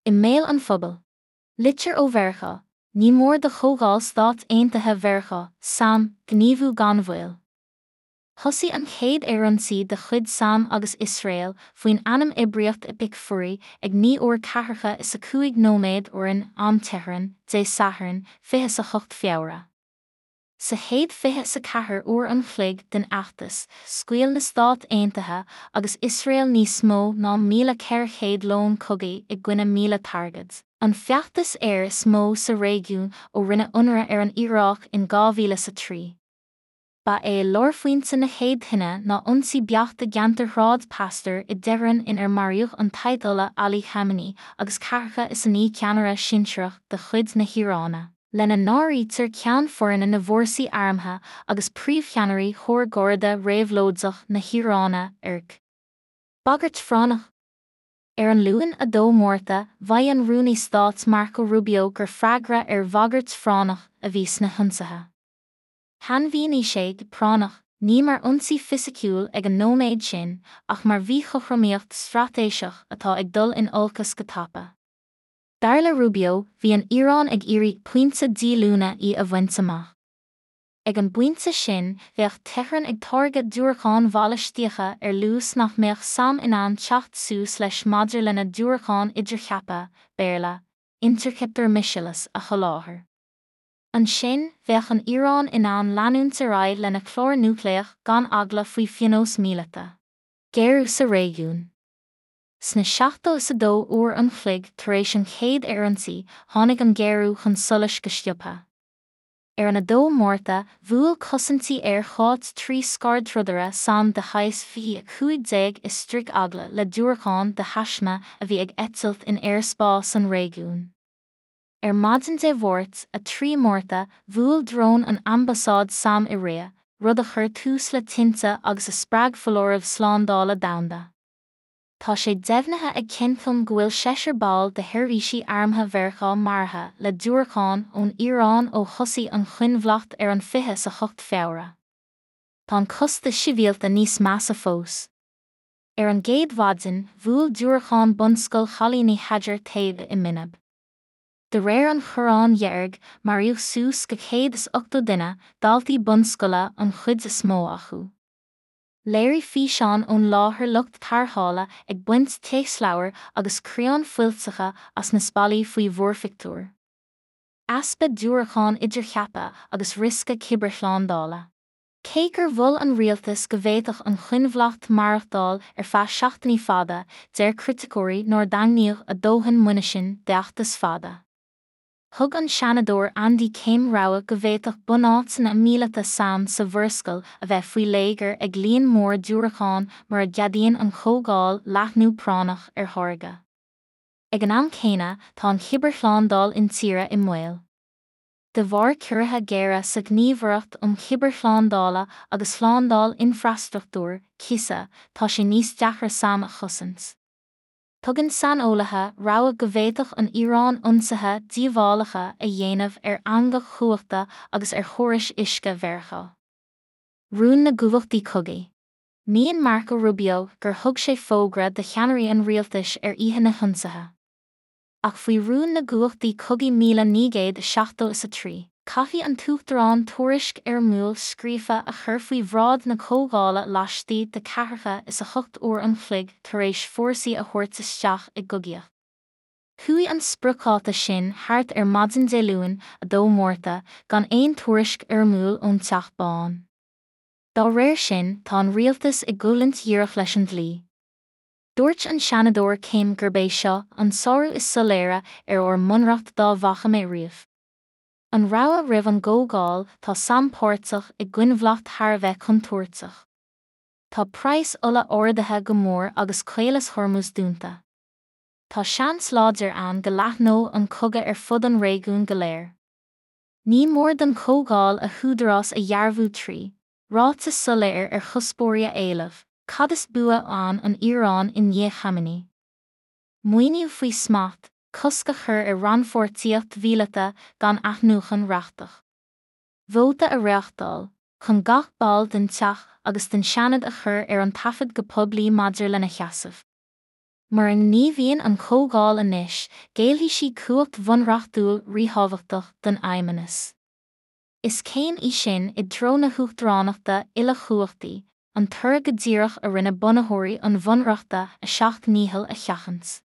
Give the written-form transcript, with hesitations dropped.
I mbéal an phobail. Litir ó Mheiriceá, Ní mór do Chomhdháil Stáit Aontaithe Mheiriceá, sam, gníomhú gan mhoill. Thosaigh an chéad aerionsaí de chuid sam agus Iosrael, faoin ainm Oibríocht Epic Fury, ag 9 uair ceathracha is a 5 nóiméad uair in am Tehran, Dé Sathairn, 28 Feabhra. Sa chéad 24 uair an chloig den fheachtas, scaoil na Stáit Aontaithe agus Iosrael níos mó ná 1,400 lón cogaidh i gcoinne 1,000 targaid, an feachtas aeir is mó sa réigiún ó rinneadh ionradh ar an Iaráic in 2003. Ba é lárphointe na chéad thine ná ionsaí beacht i gceantar Shráid Pasteur i dTeheran in ar maraíodh an tAyatollah Ali Khamenei agus ceathracha is a naoi ceannaire sinsearach de chuid na hIaráine, lena n-áirítear Ceann Foirne na bhFórsaí Armtha agus príomhcheannairí Chór Garda Réabhlóideach na hIaráine, IRGC. Bagairt phráinneach. Ar an Luan 2 Márta, mhaígh an Rúnaí Stáit Marco Rubio gur freagra ar bhagairt phráinneach a bhí sna hionsaithe. Shainmhínigh sé 'práinneach' ní mar ionsaí fisiciúil ag an nóiméad sin ach mar mhíchothromaíocht straitéiseach atá ag dul in olcas go tapa. Dar le Rubio, bhí an Iaráin ag iarraidh pointe díolúine í a bhaint amach. Ag an bpointe sin, bheadh Tehran ag táirgeadh diúracáin bhalaistíocha ar luas nach mbeadh sam in ann teacht suas leis maidir lena diúracáin idircheaptha, Béarla, interceptor missiles, a sholáthar. Ansin, bheadh an Iaráin in ann leanúint ar aghaidh lena clár núicléach gan eagla faoi phionós míleata. Géarú sa réigiún. Sna 72 uair an chloig tar éis an chéad aerionsaí, tháinig an géarú chun solais go sciobtha. Ar an 2 Márta, bhuail cosaintí aeir Chuáit 3 scairdtrodaire sam de shaghas 2015 i stríoc eagla le diúracán de thaisme a bhí ag eitilt in aerspás an réigiúin. Ar maidin Dé Mháirt, 3 Márta, bhuail drón an ambasáid sam i Riad, rud a chuir tús le tinte agus a spreag foláireamh slándála domhanda. Tá sé deimhnithe ag Centcom go bhfuil seisear ball de sheirbhísí armtha Mheiriceá maraithe le diúracáin ón Iaráin ó thosaigh an choinbhleacht ar an 28 Feabhra. Tá an costas sibhialta níos measa fós. Ar an gcéad mhaidin, bhuail diúracán bunscoil chailíní Hajar Tayyebeh i Minab. De réir an Chorráin Dheirg, maraíodh suas go 180 duine, daltaí bunscoile an chuid is mó acu. Léirigh físeáin ón láthair lucht tarrthála ag baint téacsleabhar agus criáin fuilteacha as na spallaí faoi mhúrphictiúir. Easpa diúracán idircheaptha agus riosca cibearshlándála. Cé gur mhol an rialtas go bhféadfadh an choinbhleacht maireachtáil ar feadh seachtainí fada, deir criticeoirí nár daingníodh a dóthain muinisin d'fheachtas fada. Thug an Seanadóir Andy Kim rabhadh go bhféadfadh bunáiteanna míleata sam sa Mhurascaill a bheith faoi léigear ag líon mór diúracán mura gceadaíonn an Chomhdháil leathnú práinneach ar tháirgeadh. Ag an am céanna, tá an chibearshlándáil intíre i mbaol. De bharr ciorruithe géara sa Ghníomhaireacht um Chibearshlándála agus Shlándáil Infreastruchtúir, CISA, tá sé níos deacra sam a chosaint. Tugann saineolaithe rabhadh go bhféadfadh an Iaráin ionsaithe díobhálacha a dhéanamh ar eangach chumhachta agus ar chórais uisce Mheiriceá. Rún na gcumhachtaí cogaidh. Maíonn Marco Rubio gur thug sé fógra do cheannairí an rialtais ar oíche na hionsaithe. Ach faoi Rún na gCumhachtaí Cogaidh 1973, caithfidh an tUachtarán tuairisc fhoirmiúil scríofa a chur faoi bhráid na Comhdhála laistigh de ceathracha is a hocht uair an chloig tar éis fórsaí a thabhairt isteach i gcogaíocht. Chuaigh an spriocdháta sin thart ar maidin Dé Luain, 2 Márta, gan aon tuairisc fhoirmiúil ón Teach Bán. Dá réir sin, tá an rialtas i gcoimhlint dhíreach leis an dlí. Dúirt an Seanadóir Kim gurb é seo an sárú is soiléire ar ár mbunreacht dá bhfaca mé riamh. An rabhadh roimh an gComhdháil, tá sam páirteach i gcoinbhleacht thar a bheith contúirteach. Tá praghas ola ardaithe go mór agus Caolas Hormuz dúnta. Tá seans láidir ann go leathnóidh an cogadh ar fud an réigiúin go léir. Ní mór don Chomhdháil a húdarás a dhearbhú trí, ráiteas soiléir ar chuspóirí a éileamh, Cad is bua ann an Iaráin i ndiaidh Khamenei? Maoiniú faoi smacht, cosc a chur ar rannpháirtíocht mhíleata gan athnuachan reachtach. Vóta a reáchtáil, chun gach ball den Teach agus den Seanad a chur ar an taifead go poiblí maidir lena sheasamh. Mura ngníomhaíonn an Chomhdháil anois, géillfidh sí cumhacht bhunreachtúil ríthábhachtach don Fheidhmeannas. Is céim í sin i dtreo na huachtaránachta uilechumhachtaí, an toradh go díreach a rinne bunaitheoirí an Bhunreachta a seacht ndícheall a sheachaint.